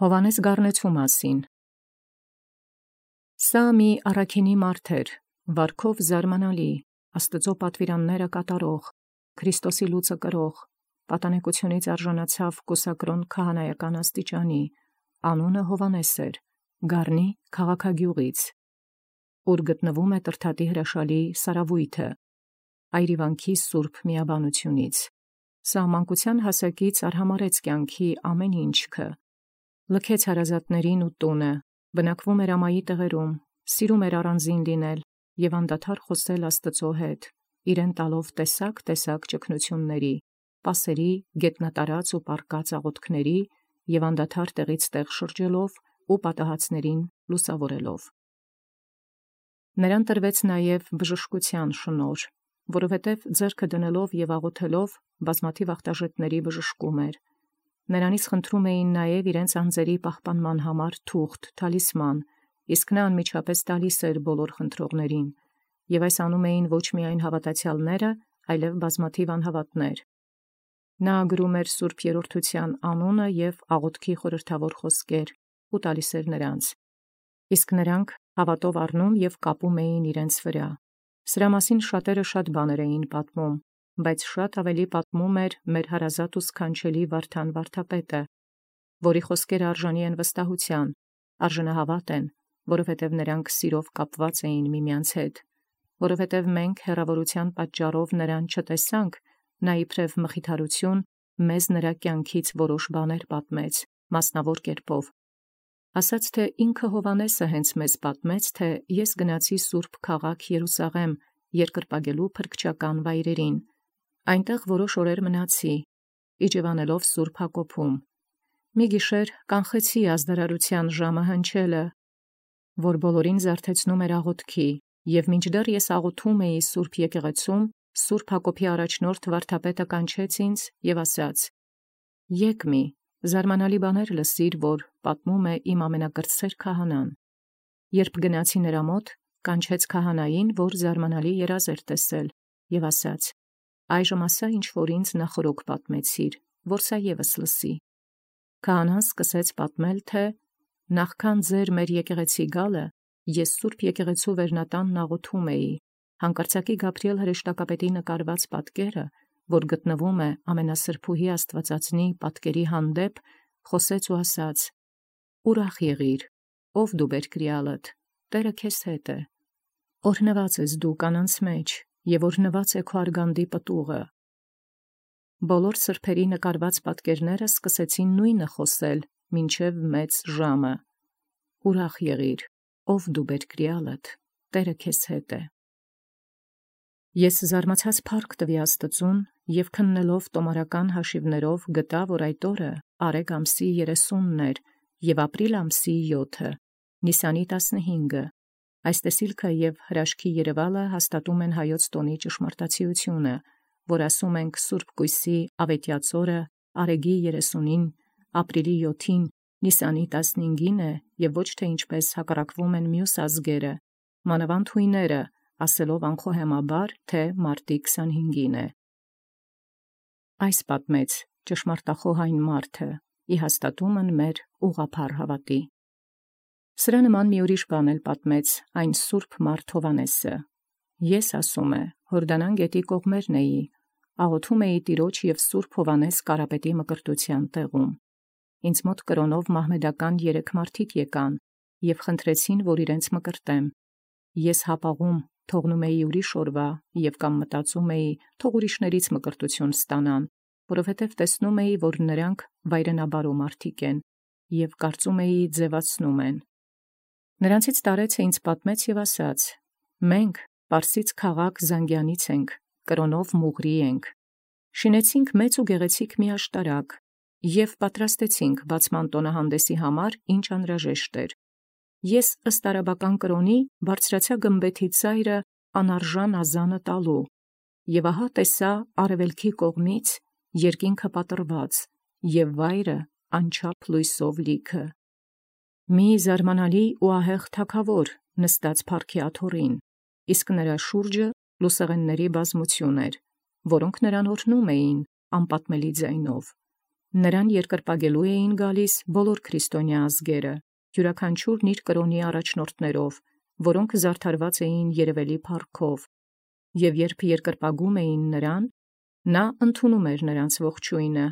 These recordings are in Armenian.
Հովանես գառնեցու մասին։ Սա մի առաքինի մարդ էր, վարքով զարմանալի, Աստծո պատվիրանները կատարող, Քրիստոսի լուծը կրող, պատանեկությունից արժանացավ կուսակրոն քահանայական աստիճանի, անունը Հովանես էր, Գառնի քաղաքագյուղից, ուր գտնվում է Տրդատի հրաշալի սարավույթը, այրիվանքի սուրբ միաբանությունից։ Սա մանկության հասակից արհամարհեց կյանքի ամեն ինչքը, լքեց հարազատներին ու տունը, բնակվում էր ամայի տեղերում, սիրում էր առանձին լինել և անդադար խոսել Աստծո հետ, իրեն տալով տեսակ ճգնությունների, պասերի, գետնատարած ու պառկած աղոթքների և անդադար տեղից տեղ շրջելով ու պատահածներին լուսավորելով։ Նրան տրվեց նաև բժշկության շնորհ, որովհետև ձեռքը դնելով և աղոթելով բազմաթիվ ախտաժետների բժշկում էր։ Նրանից խնդրում էին նաև իրենց անձերի պահպանման համար թուղթ, թալիսման, իսկ նա անմիջապես տալիս էր բոլոր խնդրողներին, և այս անում էին ոչ միայն հավատացյալները, այլև բազմաթիվ անհավատներ։ Նա գրում էր Սուրբ Երրորդության անունը և աղոթքի խորհրդավոր խոսքեր ու տալիս էր նրանց, իսկ նրանք հավատով առնում և կապում էին իրենց վրա։ Սրա մասին շատերը շատ բաներ էին պատմում, բայց շատ ավելի պատմում էր մեր հարազատ ու սքանչելի Վարդան վարդապետը, որի խոսքերը արժանի են վստահության, արժանահավատ են, որովհետև նրանք սիրով կապված էին միմյանց հետ, որովհետև մենք հեռավորության պատճառով նրան չտեսանք, նա իբրև մխիթարություն մեզ նրա կյանքից որոշ բաներ պատմեց, մասնավոր կերպով, ասաց, թե ինքը Հովանեսը հենց մեզ պատմեց, թե ես գնացի սուրբ քաղաք Երուսաղեմ երկրպագելու փրկչական վայրերին, այնտեղ որոշ օրեր մնացի, իջևանելով Սուրբ Հակոբում, մի գիշեր կանխեցի ազդարարության ժամը հնչելը, որ բոլորին զարթեցնում էր աղոթքի, և մինչդեռ ես աղոթում էի Սուրբ եկեղեցում, Սուրբ Հակոբի առաջնորդ վարդապետը կանչեց ինձ և ասաց. «Եկ մի, զարմանալի բաներ լսիր, որ պատմում է իմ ամենակրտսեր քահանան»։ Երբ գնացի նրա մոտ, կանչեց քահանային, որ զարմանալի երազ էր տեսել, և ասաց. «Այժմ ասա, ինչ որ ինձ նախօրոք պատմեցիր, որ սա ևս լսի»։ Քահանան սկսեց պատմել, թե նախքան ձեր մեր եկեղեցի գալը, ես Սուրբ եկեղեցու վերնատանն աղոթում էի, հանկարծակի Գաբրիել հրեշտակապետի նկարված պատկերը, որ գտնվում է ամենասրբուհի Աստվածածնի պատկերի հանդեպ, խոսեց ու ասաց. «Ուրախ եղիր, ով դու բերկրիալդ, Տերը քեզ հետ է, օրհնված ես դու կանանց մեջ, և օրհնված է քո արգանդի պտուղը»։ Բոլոր սրբերի նկարված պատկերները սկսեցին նույնը խոսել մինչև մեծ ժամը. «Ուրախ եղիր, ով դու բերկրիալդ, Տերը քեզ հետ է»։ Ես զարմացած փառք տվի Աստծուն և քննելով տոմարական հաշիվներով գտա, որ այդ օրը Արեգ ամսի 30-ն էր և ապրիլ ամսի 7-ը, Նիսանի 15-ը։ Այս տեսիլքը և հրաշքի երևալը հաստատում են հայոց տոնի ճշմարտացիությունը, որ ասում ենք Սուրբ Կույսի ավետյաց օրը Արեգի 30-ին, ապրիլի 7-ին, Նիսանի 15-ին է և ոչ թե ինչպես հակառակվում են մյուս ազգերը, մանավանդ հույները, ասելով անխոհեմաբար, թե մարտի 25-ին է։ Այս պատմեց ճշմարտախոհ այն մարդը, ի հաստատումն մեր ուղղափառ հավատի։ Սրա նման մի ուրիշ բան էլ պատմեց այն սուրբ մարդ Հովանեսը։ Ես, ասում է, Հորդանան գետի կողմերն էի, աղոթում էի Տիրոջ և Սուրբ Հովանես Կարապետի մկրտության տեղում։ Ինձ մոտ կրոնով մահմեդական 3 մարդիկ եկան և խնդրեցին, որ իրենց մկրտեմ։ Ես հապաղում թողնում էի ուրիշ օրվա և կամ մտածում էի, թող ուրիշներից մկրտություն ստանան, որովհետև տեսնում էի, որ նրանք վայրենաբարո մարդիկ են և կարծում էի ձևացնում են։ Նրանցից տարեցը ինձ պատմեց և ասաց. «Մենք Պարսից քաղաք Զանգյանից ենք, կրոնով Մուղրի ենք։ Շինեցինք մեծ ու գեղեցիկ մի աշտարակ և պատրաստեցինք բացման տոնահանդեսի համար, ինչ անհրաժեշտ էր։ Ես ըստ արաբական կրոնի բարձրացա գմբեթի ծայրը անարժան ազանը տալու, և ահա տեսա արևելքի կողմից երկինքը պատռված և վայրը անչափ լույսով լիքը։ Մի զարմանալի ու ահեղ թագավոր նստած փառքի աթոռին, իսկ նրա շուրջը լուսեղենների բազմություն էր, որոնք նրան օրհնում էին անպատմելի ձայնով։ Նրան երկրպագելու էին գալիս բոլոր քրիստոնյա ազգերը, յուրաքանչյուրն իր կրոնի առաջնորդներով, որոնք զարդարված էին երևելի փառքով, և երբ երկրպագում էին նրան, նա ընդունում էր նրանց ողջույնը։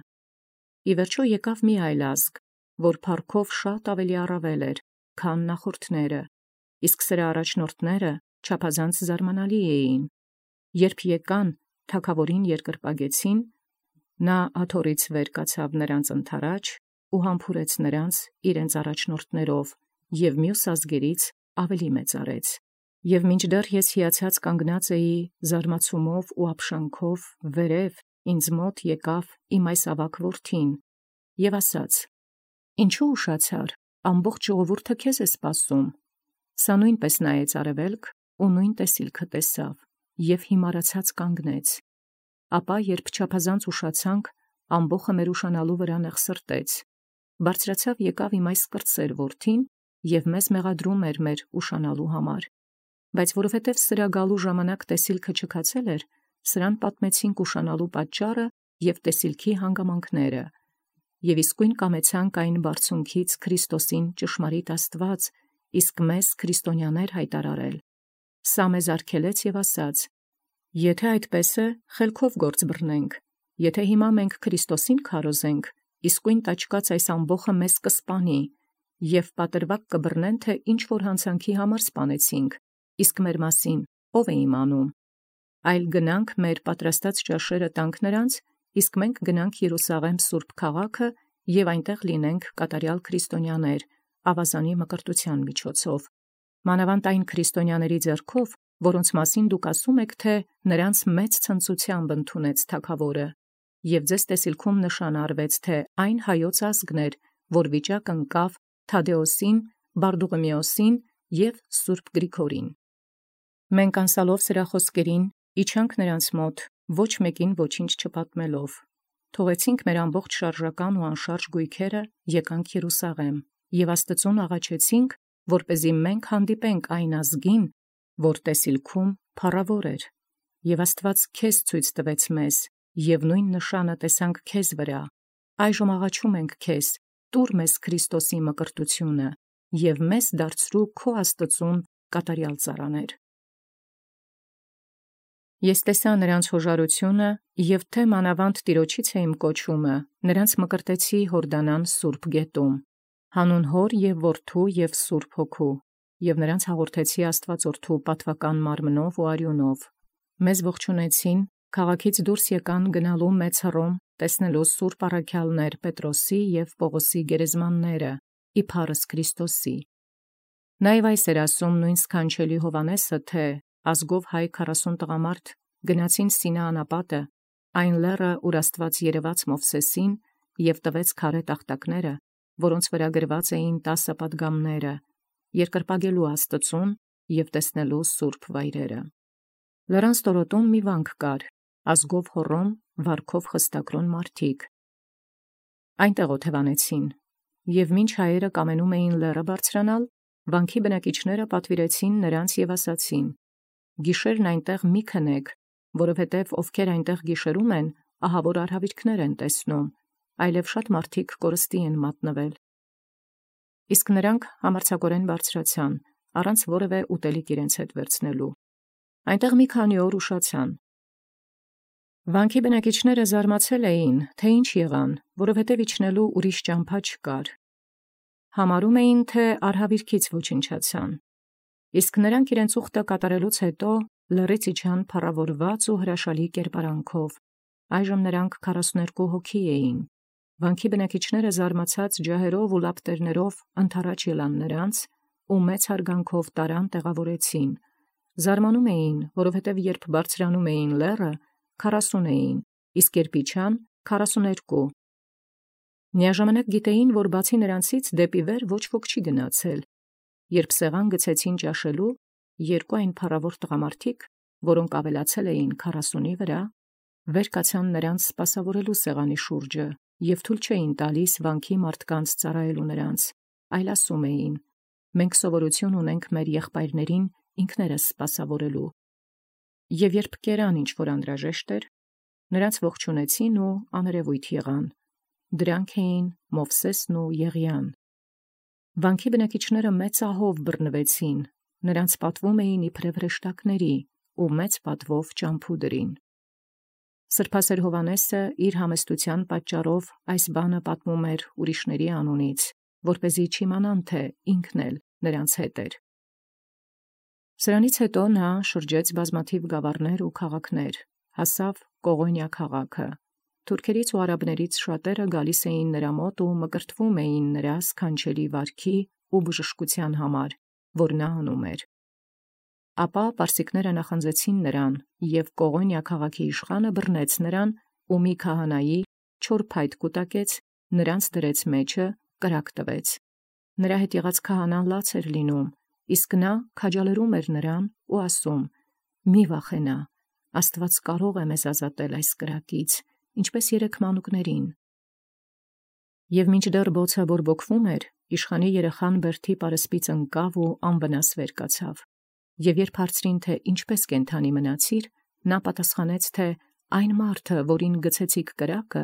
Ի վերջո եկավ մի այլ ազգ, որ փառքով շատ ավելի առավել էր, քան նախորդները, իսկ սրա առաջնորդները չափազանց զարմանալի էին։ Երբ եկան, թագավորին երկրպագեցին, նա աթոռից վեր կացավ նրանց ընդառաջ ու համբուրեց նրանց իրենց առաջնորդներով և մյուս ազգերից ավելի մեծարեց։ Եվ մինչդեռ ես հիացած կանգնած էի զարմացումով ու ապշանքով, վերև ինձ մոտ եկավ իմ այս ավագ որդին և ասաց. «Ինչու ուշացար, ամբողջ ժողովուրդը քեզ է սպասում»։ Սա նույնպես նայեց արևելք ու նույն տեսիլքը տեսավ և հիմարացած կանգնեց։ Ապա երբ չափազանց ուշացանք, ամբոխը մեր ուշանալու վրա նեղսրտեց, բարձրացավ եկավ իմ այս կրտսեր որդին և մեզ մեղադրում էր մեր ուշանալու համար։ Բայց որովհետև սրա գալու ժամանակ տեսիլքը չքացել էր, սրան պատմեցինք ուշանալու պատճառը և տեսիլքի հանգամանքները, և իսկույն կամեցանք այն բարձունքից Քրիստոսին ճշմարիտ Աստված, իսկ մեզ քրիստոնյաներ հայտարարել։ Սա մեզ արգելեց և ասաց. «Եթե այդպես է, խելքով գործ բռնենք, եթե հիմա մենք Քրիստոսին քարոզենք, իսկույն տաճկաց այս ամբոխը մեզ կսպանի, և պատրվակ կբռնեն, թե ինչ որ հանցանքի համար սպանեցինք, իսկ մեր մասին ով է իմանում։ Այլ գնանք մեր պատրաստած ճաշերը տանք նրանց, իսկ մենք գնանք Երուսաղեմ սուրբ քաղաքը և այնտեղ լինենք կատարյալ քրիստոնյաներ, ավազանի մկրտության միջոցով, մանավանդ այն քրիստոնյաների ձեռքով, որոնց մասին դուք ասում եք, թե նրանց մեծ ցնծությամբ ընդունեց թագավորը, և ձեզ տեսիլքում նշան արվեց, թե այն հայոց ազգն էր, որ վիճակ ընկավ Թադեոսին, Բարդուղիմեոսին և սուրբ Գրիգորին։ Մենք անսալով սրա խոսքերին իջանք նրանց մոտ, ոչ մեկին ոչինչ չպատմելով, թողեցինք մեր ամբողջ շարժական ու անշարժ գույքերը, եկանք Երուսաղեմ և Աստծուն աղաչեցինք, որպեսզի մենք հանդիպենք այն ազգին, որ տեսիլքում փառավոր էր, և Աստված քեզ ցույց տվեց մեզ, և նույն նշանը տեսանք քեզ վրա։ Այժմ աղաչում ենք քեզ, տուր մեզ Քրիստոսի մկրտությունը և մեզ դարձրու քո Աստծուն կատարյալ ծառաներ։ Ես տեսա նրանց հոժարությունը, և թե մանավանդ Տիրոջից է իմ կոչումը, նրանց մկրտեցի Յորդանան սուրբ գետում, հանուն Հոր և Որդու և Սուրբ Հոգու, և նրանց հաղորդեցի Աստվածորդու պատվական մարմնով ու արյունով։ Մեզ ողջունեցին, քաղաքից դուրս եկան գնալու մեծ հռոմ, տեսնելու սուրբ առաքյալներ Պետրոսի և Պողոսի գերեզմանները, իբարս Քրիստոսի։ Նաև այս էր ասում նույն սքանչելի Հովհաննեսը, թե ազգով հայ 40 տղամարդ գնացին Սինա անապատը, այն լեռը, ուր Աստված երևաց Մովսեսին և տվեց քարե տախտակները, որոնց վրա գրված էին 10 պատգամները, երկրպագելու Աստծուն և տեսնելու սուրբ վայրերը։ Լեռան ստորոտում մի վանք կար, ազգով Հոռոմ, վարքով խստակրոն մարդիկ։ Այնտեղ օթևանեցին, և մինչ հայերը կամենում էին լեռը բարձրանալ, վանքի բնակիչները պատվիրեցին նրանց և ասացին. «Գիշերն այնտեղ մի քնեք, որովհետև ովքեր այնտեղ գիշերում են, ահավոր արհավիրքներ են տեսնում, այլև շատ մարդիկ կորստի են մատնվել»։ Իսկ նրանք համարձակորեն բարձրացան, առանց որևէ ուտելիք իրենց հետ վերցնելու։ Այնտեղ մի քանի օր ուշացան։ Վանքի բնակիչները զարմացել էին, թե ինչ եղան, որովհետև իջնելու ուրիշ ճամփա չկար։ Համարում էին, թե արհավիրքից ոչնչացան։ Իսկ նրանք իրենց ուխտը կատարելուց հետո լեռից իջան փառավորված ու հրաշալի կերպարանքով։ Այժմ նրանք 42 հոգի էին։ Վանքի բնակիչները զարմացած ջահերով ու լապտերներով ընդառաջ ելան նրանց ու մեծ հարգանքով տարան տեղավորեցին։ Զարմանում էին, որովհետև երբ բարձրանում էին լեռը, 40 էին, իսկ երբ իջան 42։ Միաժամանակ գիտեին, որ բացի նրանցից դեպի վեր ոչ ոք չի գնացել։ Երբ սեղան գցեցին ճաշելու, երկու այն փառավոր տղամարդիկ, որոնք ավելացել էին 40-ի վրա, վեր կացան նրանց սպասավորելու սեղանի շուրջը և թույլ չէին տալիս վանքի մարդկանց ծառայելու նրանց, այլ ասում էին. «Մենք սովորություն ունենք մեր եղբայրներին ինքներս սպասավորելու»։ Եվ երբ կերան ինչ որ անհրաժեշտ էր, նրանց ողջունեցին ու աներևույթ եղան։ Դրանք էին Մովսեսն ու Եղիան։ Վանքի բնակիչները մեծ ահով բռնվեցին, նրանց պատվում էին իբրև հրեշտակների ու մեծ պատվով ճամփուդրին։ Սրբասեր Հովհաննեսը իր համեստության պատճառով այս բանը պատմում էր ուրիշների անունից, որպեսզի չիմանան, թե ինքն էլ նրանց հետ էր։ Սրանից հետո նա շրջեց բազմաթիվ գավառներ ու քաղաքներ, հասավ Կողոնիա քաղաքը։ Թուրքերից ու արաբներից շատերը գալիս էին նրա մոտ ու մկրտվում էին նրա սքանչելի վարքի ու բժշկության համար, որ նա անում էր։ Ապա պարսիկները նախանձեցին նրան, և Կողոնիա քաղաքի իշխանը բռնեց նրան ու մի քահանայի չոր փայտ կուտակեց, նրանց դրեց մեջը, կրակ տվեց։ Նրա հետ եղած քահանան լաց էր լինում, իսկ նա քաջալերում էր նրան ու ասում. «Մի վախենա, Աստված կարող է մեզ ազատել այս կրակից, ինչպես 3 մանուկներին»։ Եվ մինչդեռ բոցը բորբոքվում էր, իշխանի երեխան բերդի պարսպից ընկավ ու անվնաս վեր կացավ։ Եվ երբ հարցրին, թե ինչպես կենդանի մնացիր, նա պատասխանեց, թե այն մարդը, որին գցեցիք կրակը,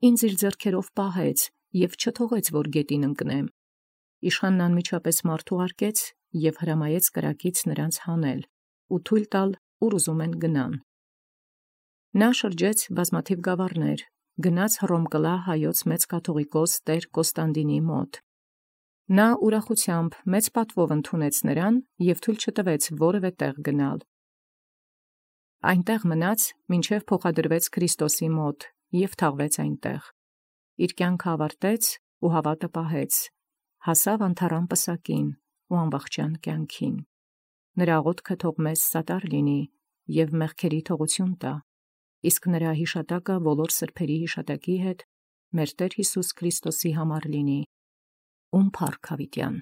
ինձ իր ձեռքերով պահեց և չթողեց, որ գետին ընկնեմ։ Իշխանն անմիջապես մարդ ուղարկեց և հրամայեց կրակից նրանց հանել ու թույլ տալ, ուր ուզում են գնան։ Նա շրջեց բազմաթիվ գավառներ, գնաց Հռոմկլա հայոց մեծ կաթողիկոս Տեր Կոստանդինի մոտ։ Նա ուրախությամբ մեծ պատվով ընդունեց նրան և թույլ չտվեց որևէ տեղ գնալ։ Այնտեղ մնաց, մինչև փոխադրվեց Քրիստոսի մոտ և թաղվեց այնտեղ։ Իր կյանքը ավարտեց ու հավատը պահեց, հասավ անթառամ պսակին ու անվախճան կյանքին։ Նրա աղոթքը թող մեզ սատար լինի և մեղքերի թողություն տա, իսկ նրա հիշատակը բոլոր սրբերի հիշատակի հետ մեր Տեր Հիսուս Քրիստոսի համար լինի։ Ում փառք հավիտյան։